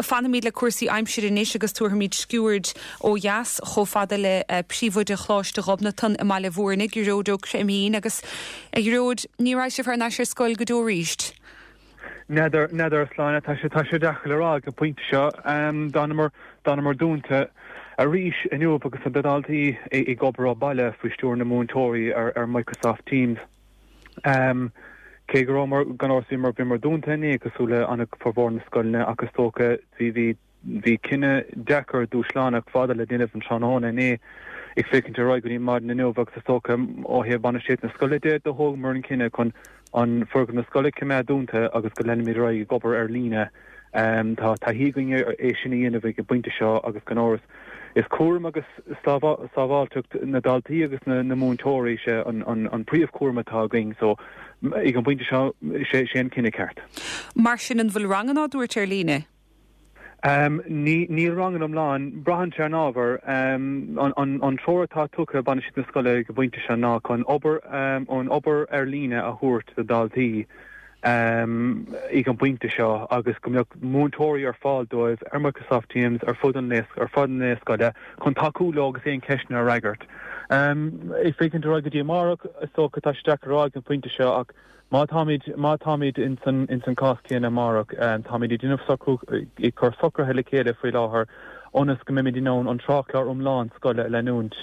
Fanfaimid le cúrsaí aimsire anois agus tabharfaimid sciuird ó dheas chomh fada le príomhoide Choláiste Ghobnatan i mBaile Bhúirne, Gearóid Ó Creimín. Agus, a Ghearóid, ní raghaidh sibh thar n-ais ar scoil go deo arís? N'fheadar, n'fheadar, a Shláine. Tá sé, tá sé deacair le rá ag an bpointe seo. D'fhanamar, d'fhanamar dúnta arís inniu agus na daltaí ag obair ó bhaile faoi stiúir na múinteoirí ar, ar Microsoft Teams. Cé go rabhamar, gan amhras, bhíomar, bhíomar dúnta inné cosúil le ana formhór na scoileanna ach is dócha bhí, bhí, Bhí cinneadh deacair, dúshlánach, fada le déanamh an tráthnóna inné ag féachaint ar aghaidh go dtí maidin inniu agus is dócha ó thaobh bainistíocht na scoile de, do thógamar an cinneadh chun an foirgneamh na scoile a choimeád dúnta agus go leanfaimid ar aghaidh ag obair ar líne. Tá taithí againn é sin a dhéanamh ag an bpointe seo agus gan amhras is cúram agus sábháilteacht na daltaí agus na múinteoirí sé an príomhchúram atá againn so ag an bpointe seo sé an cinneadh ceart. Mar sin an bhfuil ranganna á dtabhairt ar líne? Níl ranganna iomlán, braitheann sé ar an ábhar. An treoir atá tugtha ag bainistíocht na scoile ag an bpointe seo ná chun obair, an obair ar líne a thabhairt do dhaltaí ag an bpointe seo agus go mbeadh múinteoirí ar fáil dóibh ar Microsoft Teams ar fud an lae, ar fud an lae scoile chun tacú leo agus aon cheisteanna a fhreagairt. Ag féachaint ar aghaidh go dtí amárach, is dócha, tá sé deacair a rá ag an bpointe seo ach Má táimid, má táimid ins an, ins an cás céanna amárach, táimid ag déanamh socrú, ag cur socruithe le chéile faoi láthair ionas go mbeimid in ann an tráthchlár iomlán scoile a leanúint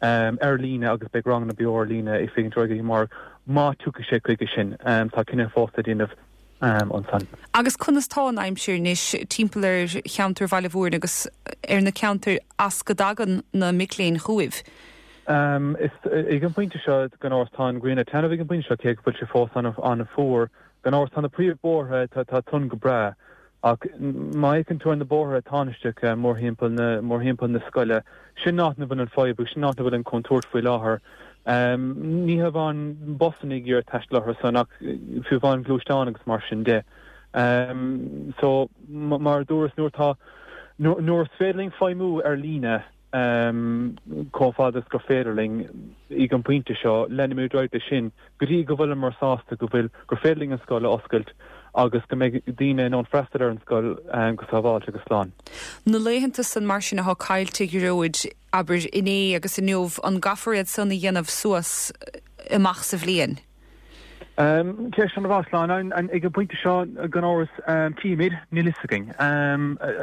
ar líne agus beidh ranganna beo ar líne ag féachaint ar aghaidh amárach má tiocfaidh sé chuige sin. Tá cinneadh fós le déanamh ansan. Agus conas tá an aimsir anois timpeall ar cheantar Bhaile Bhúirne agus ar na ceantair as go dtagann na mic léinn chugaibh? Is ag an bpointe seo, gan amhras, tá an ghrian ag taitneamh ag an bpointe seo, cé go bhfuil sé fós an-fhuar. Gan amhras, tá na príomhbhóithre, tá tinn go breá. Ach má fhéachann tú ar na bóithre tánaisteacha mórthimpeall na, mórthimpeall na scoile, sin áit ina bhfuil an fadhb agus sin áit ina bhfuil an chontúirt faoi láthair. Ní hamháin busanna ag iarraidh taisteal orthu san ach fiú amháin gluaisteáin agus mar sin de. So, mar a dúras, nuair atá, nuair is féidir linn feidhmiú ar líne, chomh fada is gur féidir linn ag an bpointe seo, leanfaimid ar aghaidh leis sin go dtí go bhfuileamar sásta go bhfuil, gur féidir linn an scoil a oscailt agus go mbeidh daoine in ann freastal ar an scoil go sábháilte agus slán. Na laethanta san mar sin atá caillte, a Ghearóid, abair inné agus inniu, an gcaithfear iad san a dhéanamh suas amach sa bhliain? Ceist an-mhaith, Sláine. Ag an bpointe seo, gan amhras, tchífimid, níl fhios againn.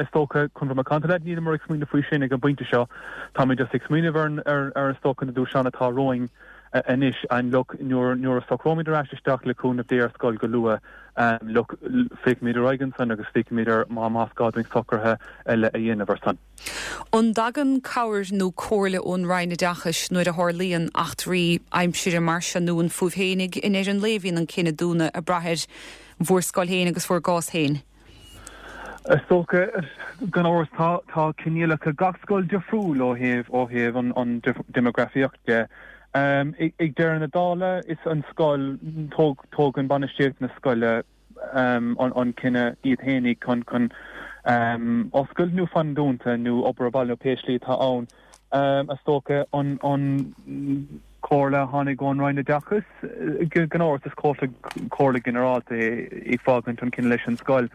Is dócha, chun bheith macánta leat, níleamar ag smaoineamh faoi sin ag an bpointe seo. Táimid just ag smaoineamh ar, ar, is dócha, na dúshláin atá romhainn anois and look, nuair, nuair a socróimid ar ais isteach le cúnamh Dé ar scoil go luath, look, féachfaimid ar aghaidh ansan agus féachfaimid ar má, más gá dúinn socruithe eile a dhéanamh ar son. An dtagann cabhair nó comhairle ón Roinn Oideachais nuair a tharlaíonn eachtraí aimsire mar seo nó an fúibh fhéinig i ndeireadh an lae a bhíonn an cinneadh dúnadh ag brath ar bhur scoil féin agus bhur gcás féin? Is dócha, gan amhras, tá tá coinníollacha gach scoil difriúil ó thaobh ó thaobh an an déimeagrafaíocht de. Ag deireadh na dála, is an scoil, tóg tógann bainistíocht na scoile, an cinneadh iad fhéinig chun chun oscailt nó fan dúnta nó obair ó bhaile nó pé slí atá ann. Is dócha an an comhairle a tháinig ón Roinn Oideachais, gan amhras is comhairle comhairle ginearálta é ag fágaint an cinneadh leis an scoil.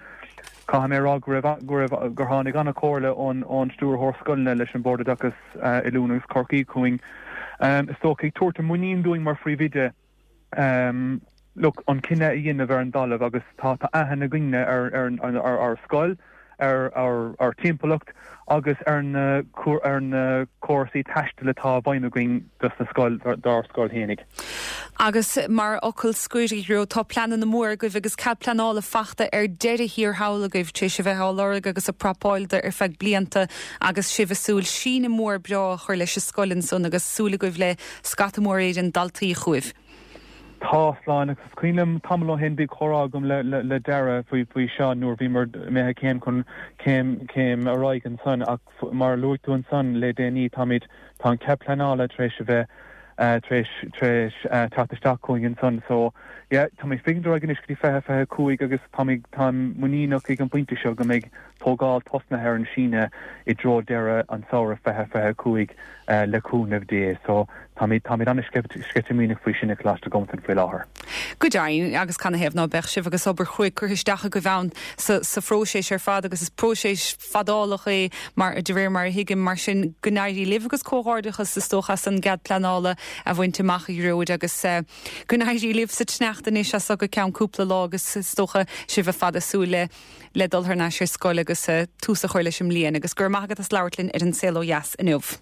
Caithfidh mé a rá go raibh go raibh gur tháinig an-chomhairle ón ón Stiúrthóir Scoileanna leis an Bord Oideachais Oiliúna agus Chorcaí chugainn. Is dócha ag tabhairt an muinín dúinn mar phríomhoide look, an cinneadh a dhéanamh ar an dtalamh agus tá tá aithne againne ar ar ar ár scoil, ar ár ár timpeallacht agus ar na ar na córasaí taistil atá i bhfeidhm againn dos na scoil dár scoil fhéinig. Agus mar fhocal scoir, a Ghearóid, tá pleananna móra agaibh agus cead pleanála fachta ar deireadh thiar thall agaibh tar éis a bheith á lorg agus ag prapáil do ar feadh blianta agus sibh ag súil síneadh mór breá a chur leis an scoil ansan agus súil agaibh le Scata mór Éireann daltaí chugaibh. Tá, a Shláine, agus is cuimhin liom tamall ó shin bhí comhrá agam le le Dara faoi faoi seo nuair bhíomar imithe céim chun céim céim ar aghaidh ansan ach mar a luaigh tú ansan le déanaí táimid tá an cead pleanála tar éis a bheith tar éis tar éis teacht isteach chugainn ansan so yeah táimid ag féachaint ar aghaidh anois go dtí 2025 agus táimid táim muiníneach ag an bpointe seo go mbeidh. tógáil tosnaithe ar an síneadh i dtreo deireadh an samhradh 2025 le cúnamh Dé. So táimid táimid an-sceitimíneach faoi sin i Coláiste Ghobnatan faoi láthair. Go deimhin, agus canathaobh ná beadh sibh agus obair chruaidh curtha isteach agaibh ann sa sa phróiseas ar fad agus is próiseas fadálach é mar de réir mar a thuigim, mar sin go n-éirí libh agus comhghairdeachas is dócha as an gcead pleanála a bhaint amach a Ghearóid agus go n-éirí libh sa tsneachta anois as seo go ceann cúpla lá agus is dócha sibh ar fad ag súil le le dul thar n-ais ar scoil agus tús a chur leis an mbliain agus go raibh maith agat as labhairt linn ar An Saol Ó Dheas inniu.